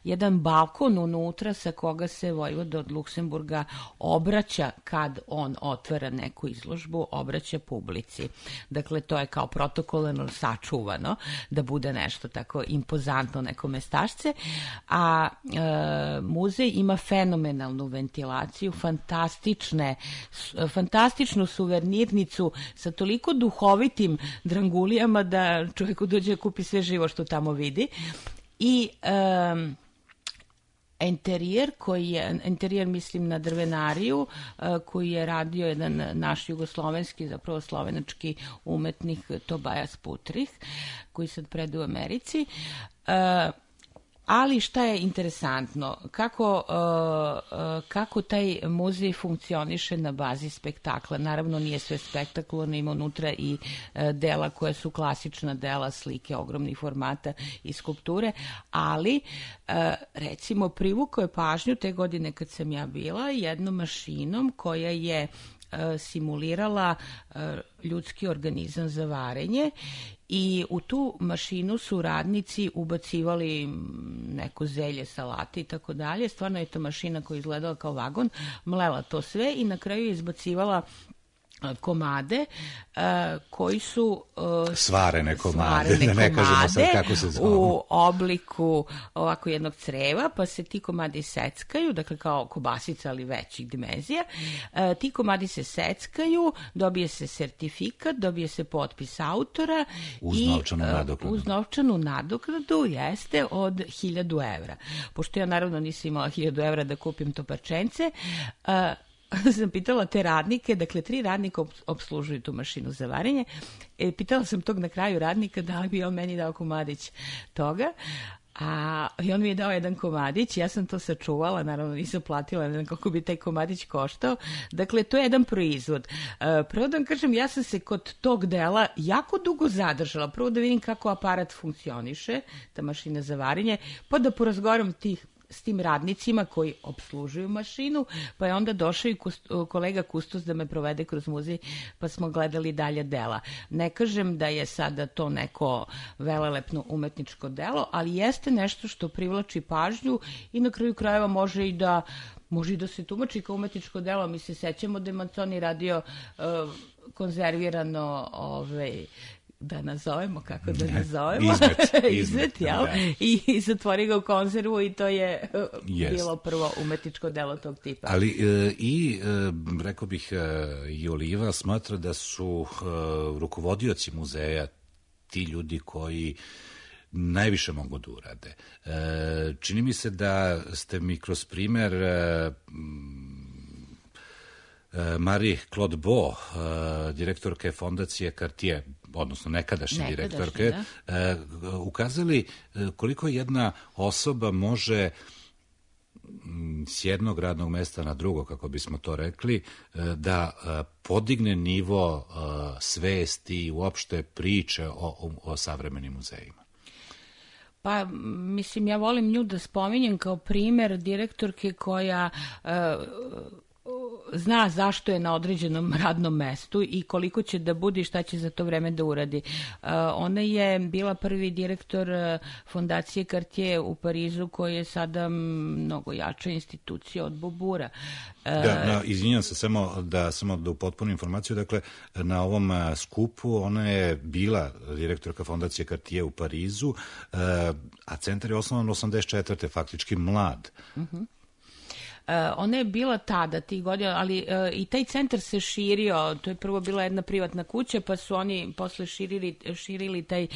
Speaker 13: jedan balkon unutra sa koga se Vojvoda od Luksemburga obraća kad on otvara neku izložbu, obraća publici. Dakle, to je kao protokolno sačuvano, da bude nešto tako impozantno, neko mestašce, a muzej ima fenomenalnu ventilaciju, fantastičnu suvenirnicu sa toliko duhovitim drangulijama da čovjeku dođe da kupi sve živo što tamo vidi. I interijer mislim na drvenariju koji je radio jedan naš jugoslovenski, zapravo slovenački umetnik Tobias Putrih, koji sad predaje u Americi. Ali šta je interesantno, kako taj muzej funkcioniše na bazi spektakla. Naravno nije sve spektakl, on ima unutra i dela koja su klasična dela, slike ogromnih formata i skulpture, ali recimo privukao je pažnju te godine kad sam ja bila jednom mašinom koja je simulirala ljudski organizam za varenje i u tu mašinu su radnici ubacivali neko zelje, salate i tako dalje. Stvarno je to mašina koja je izgledala kao vagon, mlela to sve i na kraju je izbacivala komade koji su
Speaker 1: svarene komade, da ne kažemo sad kako se zove,
Speaker 13: u obliku ovako jednog creva, pa se ti komadi seckaju, dakle kao kobasica ali većih dimenzija. Ti komadi se seckaju, dobije se sertifikat, dobije se potpis autora
Speaker 1: uz novčanu nadoknadu.
Speaker 13: Uz novčanu nadoknadu jeste od 1000 evra. Pošto ja naravno nisam imala 1000 evra da kupim to parčence, sam pitala te radnike, dakle 3 radnika obslužuju tu mašinu za varenje, pitala sam tog na kraju radnika da li bi on meni dao komadić toga, i on mi je dao jedan komadić, ja sam to sačuvala, naravno nisam platila, ne znam koliko bi taj komadić koštao. Dakle, to je jedan proizvod. Prvo da vam kažem, ja sam se kod tog dela jako dugo zadržala. Prvo da vidim kako aparat funkcioniše, ta mašina za varenje, pa da porazgovaram s tim radnicima koji obslužuju mašinu, pa je onda došao i kolega kustos da me provede kroz muzej, pa smo gledali dalje dela. Ne kažem da je sada to neko velelepno umetničko delo, ali jeste nešto što privlači pažnju i na kraju krajeva može i da se tumači kao umetničko delo. Mi se sećamo da je Manzoni radio konzervirano da nazovemo, kako da nazovemo? Izmet, jel? Da. I zatvori ga u konzervu i to je bilo prvo umetničko delo tog tipa.
Speaker 1: Ali rekao bih, i Oliva smatra da su rukovodioci muzeja ti ljudi koji najviše mogu da urade. Čini mi se da ste mi kroz primer Marie-Claude Beau, direktorke fondacije Cartier, odnosno nekadašnje direktorke, ukazali koliko jedna osoba može s jednog radnog mesta na drugo, kako bismo to rekli, da podigne nivo svesti i uopšte priče o savremenim muzejima.
Speaker 13: Pa, mislim, ja volim nju da spominjem kao primer direktorke koja zna zašto je na određenom radnom mestu i koliko će da bude i šta će za to vreme da uradi. Ona je bila prvi direktor fondacije Cartier u Parizu, koja je sada mnogo jača institucija od Beaubourga.
Speaker 1: Izvinjam se, samo da upotpunim informaciju, dakle, na ovom skupu ona je bila direktorka fondacije Cartier u Parizu, a centar je osnovan 84. faktički mlad.
Speaker 13: Ona je bila tada, tih godina, ali i taj centar se širio. To je prvo bila jedna privatna kuća, pa su oni posle širili taj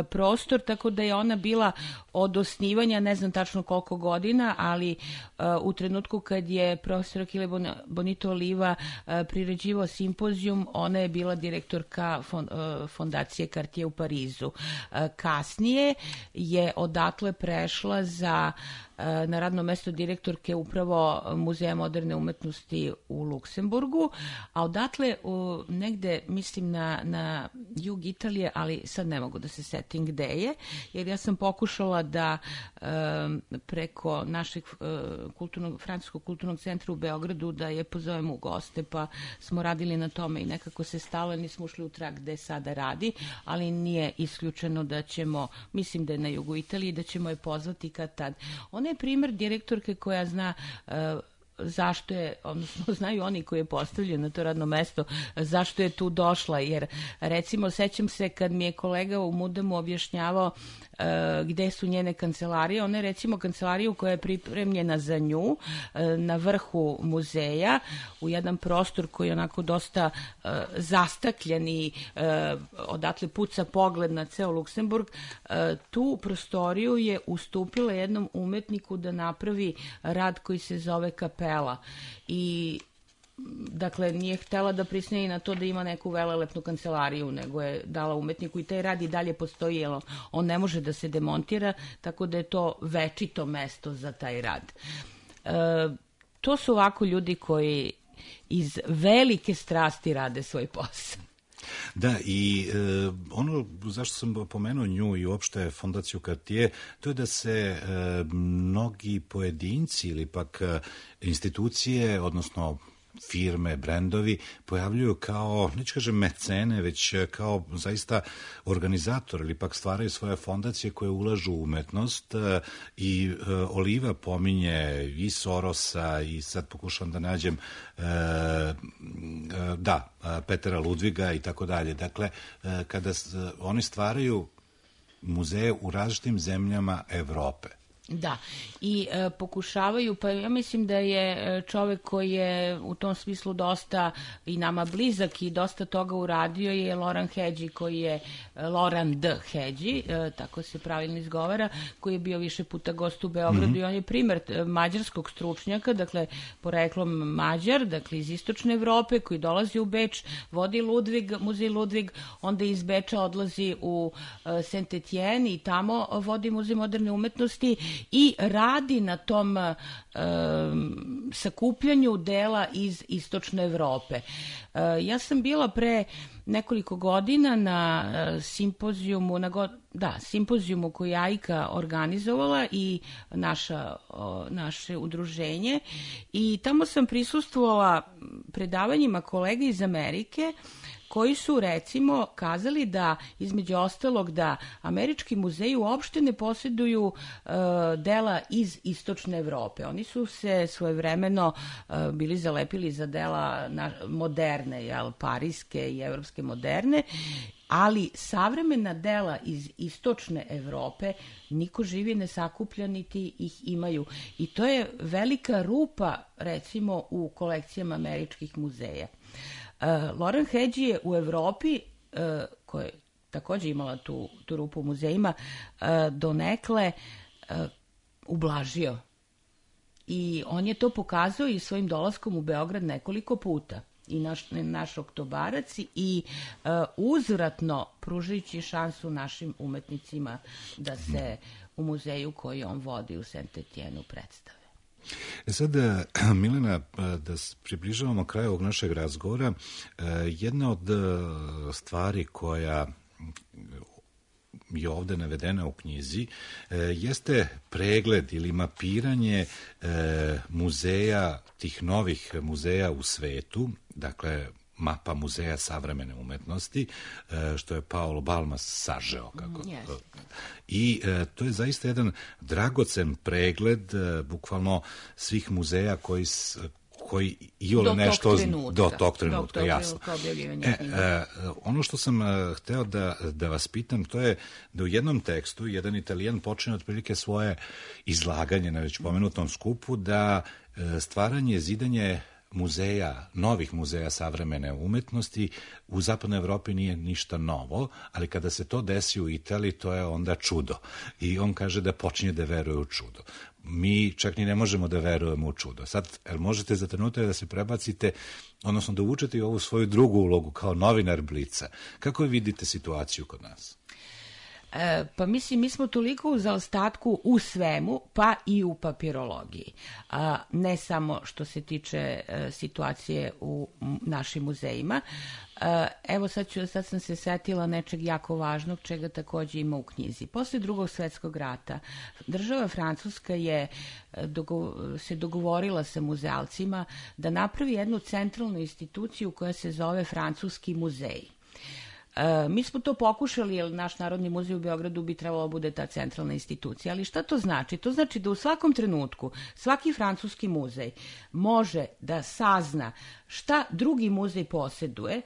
Speaker 13: prostor, tako da je ona bila od osnivanja, ne znam tačno koliko godina, ali u trenutku kad je profesor Achille Bonito Oliva priređivao simpozijum, ona je bila direktorka fondacije Cartier u Parizu. Kasnije je odatle prešla na radno mesto direktorke upravo Muzeja moderne umetnosti u Luksemburgu, a odatle negde, mislim, na jug Italije, ali sad ne mogu da se setim gde je, jer ja sam pokušala da preko našeg francuskog kulturnog centra u Beogradu da je pozovem u goste, pa smo radili na tome i nekako se stalo, nismo ušli u trag gde sada radi, ali nije isključeno da ćemo, mislim da je na jugu Italije, da ćemo je pozvati kad tad. Ona je primer direktorke koja zna zašto je, odnosno znaju oni koji je postavljen na to radno mesto, zašto je tu došla, jer recimo sećam se kad mi je kolega u Mudemu objašnjavao gde su njene kancelarije. Ona je recimo kancelariju koja je pripremljena za nju na vrhu muzeja, u jedan prostor koji je onako dosta zastakljen i odatle puca pogled na ceo Luksemburg. Tu prostoriju je ustupila jednom umetniku da napravi rad koji se zove kapela i dakle, nije htela da prisne na to da ima neku velelepnu kancelariju, nego je dala umetniku i taj rad i dalje postoji, jer on ne može da se demontira, tako da je to večito mesto za taj rad. To su ovako ljudi koji iz velike strasti rade svoj posao.
Speaker 1: Da, i ono zašto sam pomenuo nju i uopšte fondaciju Cartier, to je da se mnogi pojedinci ili pak institucije, odnosno firme, brendovi pojavljuju kao, neću kažem mecene, već kao zaista organizator ili pak stvaraju svoje fondacije koje ulažu u umetnost i Oliva pominje i Sorosa i sad pokušavam da nađem Petera Ludviga i tako dalje. Dakle, kada oni stvaraju muzeje u različitim zemljama Evrope.
Speaker 13: Da, i pokušavaju, pa ja mislim da je čovek koji je u tom smislu dosta i nama blizak i dosta toga uradio je Loran Hedži, koji je Loran D. Hedži, tako se pravilno izgovara, koji je bio više puta gost u Beogradu i on je primer mađarskog stručnjaka, dakle poreklom Mađar, dakle iz istočne Evrope, koji dolazi u Beč, vodi muzej Ludvig, onda iz Beča odlazi u Saint-Étienne i tamo vodi muzej moderne umetnosti i radi na tom sakupljanju dela iz istočne Evrope. Ja sam bila pre nekoliko godina na simpozijumu koji je AIKA organizovala i naše udruženje i tamo sam prisustvovala predavanjima kolega iz Amerike koji su recimo kazali da između ostalog da američki muzeji uopšte ne posjeduju dela iz istočne Evrope. Oni su se svojevremeno bili zalepili za dela moderne, parijske i evropske moderne, ali savremena dela iz istočne Evrope niko živi ne sakuplja niti ih imaju. I to je velika rupa recimo u kolekcijama američkih muzeja. Loran Hedži je u Evropi, koja je također imala tu rupu u muzejima, donekle ublažio. I on je to pokazao i svojim dolaskom u Beograd nekoliko puta. I naš Oktobarac i uzvratno pružajući šansu našim umetnicima da se u muzeju koji on vodi u Saint-Étienne predstave.
Speaker 1: Sad, Milena, da približavamo kraju ovog našeg razgovora, jedna od stvari koja je ovde navedena u knjizi jeste pregled ili mapiranje muzeja, tih novih muzeja u svetu, dakle mapa muzeja savremene umetnosti, što je Paolo Balmas sažeo. I to je zaista jedan dragocen pregled, bukvalno svih muzeja koji iole nešto do tog trenutka, jasno. Ono što sam hteo da vas pitam, to je da u jednom tekstu jedan Italijan počne otprilike svoje izlaganje na već pomenutom skupu da stvaranje, zidanje muzeja, novih muzeja savremene umetnosti u zapadnoj Evropi nije ništa novo, ali kada se to desi u Italiji, to je onda čudo. I on kaže da počinje da veruje u čudo. Mi čak ni ne možemo da verujemo u čudo. Sad, možete za trenutak da se prebacite, odnosno da uvučete i ovu svoju drugu ulogu kao novinar Blica. Kako vidite situaciju kod nas?
Speaker 13: Pa mislim, mi smo toliko u zaostatku u svemu, pa i u papirologiji. Ne samo što se tiče situacije u našim muzejima. Evo sad sam se setila nečeg jako važnog, čega također ima u knjizi. Posle Drugog svjetskog rata država Francuska je se dogovorila sa muzealcima da napravi jednu centralnu instituciju koja se zove Francuski muzej. Mi smo to pokušali, jer naš Narodni muzej u Beogradu bi trebalo bude ta centralna institucija, ali šta to znači? To znači da u svakom trenutku svaki francuski muzej može da sazna šta drugi muzej posjeduje,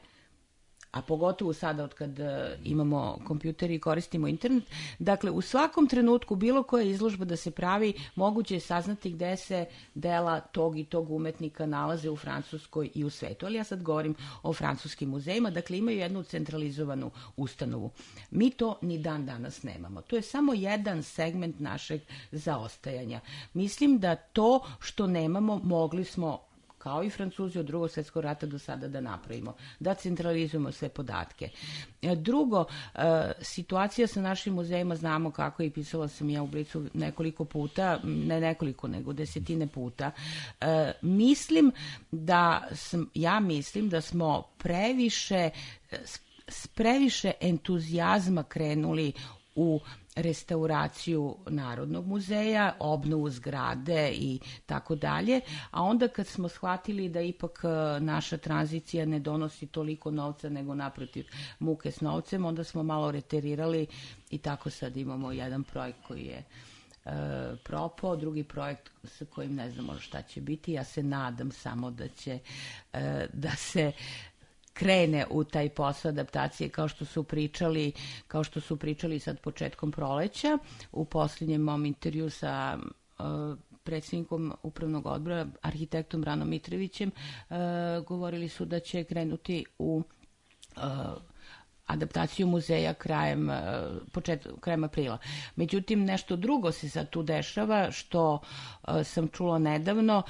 Speaker 13: a pogotovo sada od kad imamo kompjuter i koristimo internet, dakle u svakom trenutku bilo koja izložba da se pravi, moguće je saznati gde se dela tog i tog umetnika nalaze u Francuskoj i u svetu. Ali ja sad govorim o francuskim muzejima, dakle imaju jednu centralizovanu ustanovu. Mi to ni dan danas nemamo. To je samo jedan segment našeg zaostajanja. Mislim da to što nemamo mogli smo kao i Francuzi od Drugog svjetskog rata do sada da napravimo, da centralizujemo sve podatke. Drugo, situacija sa našim muzejima znamo kako i pisala sam ja u Blicu nekoliko puta, ne nekoliko, nego desetine puta. Mislim da smo previše entuzijazma krenuli u restauraciju Narodnog muzeja, obnovu zgrade i tako dalje, a onda kad smo shvatili da ipak naša tranzicija ne donosi toliko novca, nego naprotiv muke s novcem, onda smo malo reterirali i tako sad imamo jedan projekt koji je propao, drugi projekt sa kojim ne znamo šta će biti. Ja se nadam samo da će da se krene u taj posao adaptacije kao što su pričali sad početkom proleća. U posljednjem mom intervju sa predsjednikom upravnog odbora, arhitektom Branom Mitrovićem, govorili su da će krenuti u adaptaciju muzeja krajem aprila. Međutim, nešto drugo se sad tu dešava, što sam čula nedavno.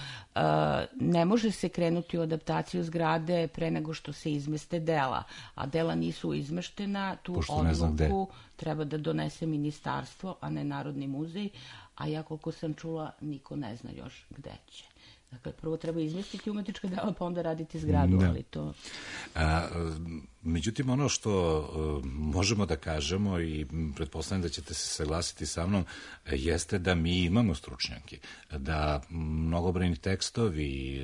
Speaker 13: Ne može se krenuti u adaptaciju zgrade pre nego što se izmeste dela, a dela nisu izmeštena. Tu odluku treba da donese ministarstvo, a ne Narodni muzej, a ja koliko sam čula, niko ne zna još gde će. Dakle, prvo treba izmestiti umetnička dela, pa onda raditi zgradu, ali to...
Speaker 1: Međutim, ono što možemo da kažemo, i pretpostavljam da ćete se saglasiti sa mnom, jeste da mi imamo stručnjake, da mnogobrojni tekstovi,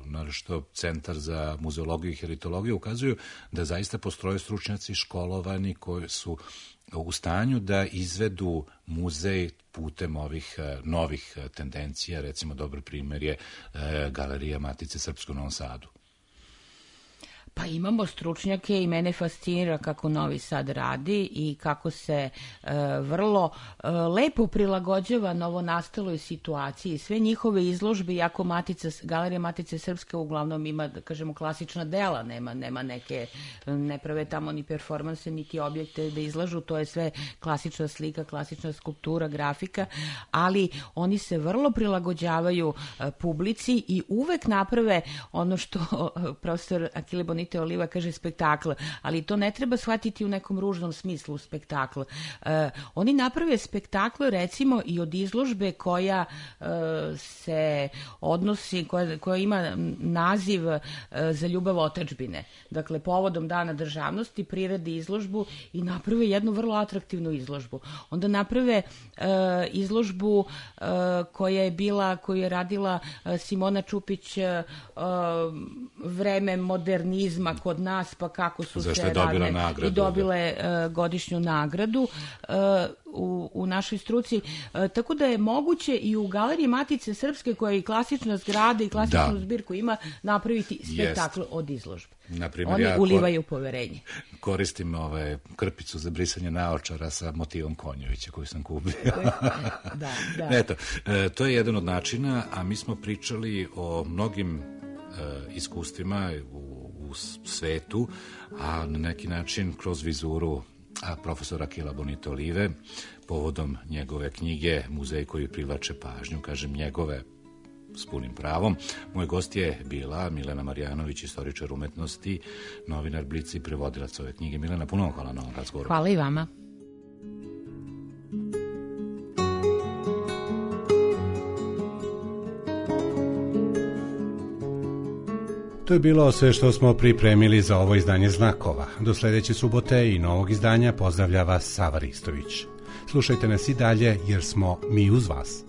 Speaker 1: naročito Centar za muzeologiju i heritologiju, ukazuju da zaista postoje stručnjaci školovani koji su u stanju da izvedu muzej putem ovih novih tendencija. Recimo, dobar primer je Galerija Matice Srpske u Novom Sadu.
Speaker 13: Pa imamo stručnjake i mene fascinira kako Novi Sad radi i kako se vrlo lepo prilagođava novonastaloj situaciji. Sve njihove izložbe, iako Galerija Matice Srpske uglavnom ima, da kažemo, klasična dela, nema neke, ne prave tamo ni performanse, niti objekte da izlažu, to je sve klasična slika, klasična skulptura, grafika, ali oni se vrlo prilagođavaju publici i uvek naprave ono što profesor Akile Bonite Oliva kaže spektakl, ali to ne treba shvatiti u nekom ružnom smislu spektakl. Oni naprave spektakl recimo i od izložbe koja se odnosi, koja ima naziv Za ljubav otadžbine. Dakle, povodom Dana državnosti priredi izložbu i naprave jednu vrlo atraktivnu izložbu. Onda naprave izložbu koju je radila Simona Čupić, vreme modernizma kod nas, pa kako su se radile i dobile godišnju nagradu u našoj struci. Tako da je moguće i u Galeriji Matice Srpske, koja je i klasična zgrada i klasičnu zbirku ima, napraviti spektakl od izložbe. Oni ulivaju poverenje.
Speaker 1: Koristim krpicu za brisanje naočara sa motivom Konjovića koju sam kupio.
Speaker 13: Da.
Speaker 1: Eto, to je jedan od načina, a mi smo pričali o mnogim iskustvima u svetu, a na neki način kroz vizuru profesora Akila Bonite Olive, povodom njegove knjige Muzej koji privlače pažnju, kažem njegove s punim pravom. Moj gost je bila Milena Marjanović, istoričar umetnosti, novinar Blica i prevodilac ove knjige. Milena, puno hvala na ovom razgovoru.
Speaker 13: Hvala i vama.
Speaker 11: To je bilo sve što smo pripremili za ovo izdanje Znakova. Do sledeće subote i novog izdanja pozdravlja vas Sava Ristović. Slušajte nas i dalje jer smo mi uz vas.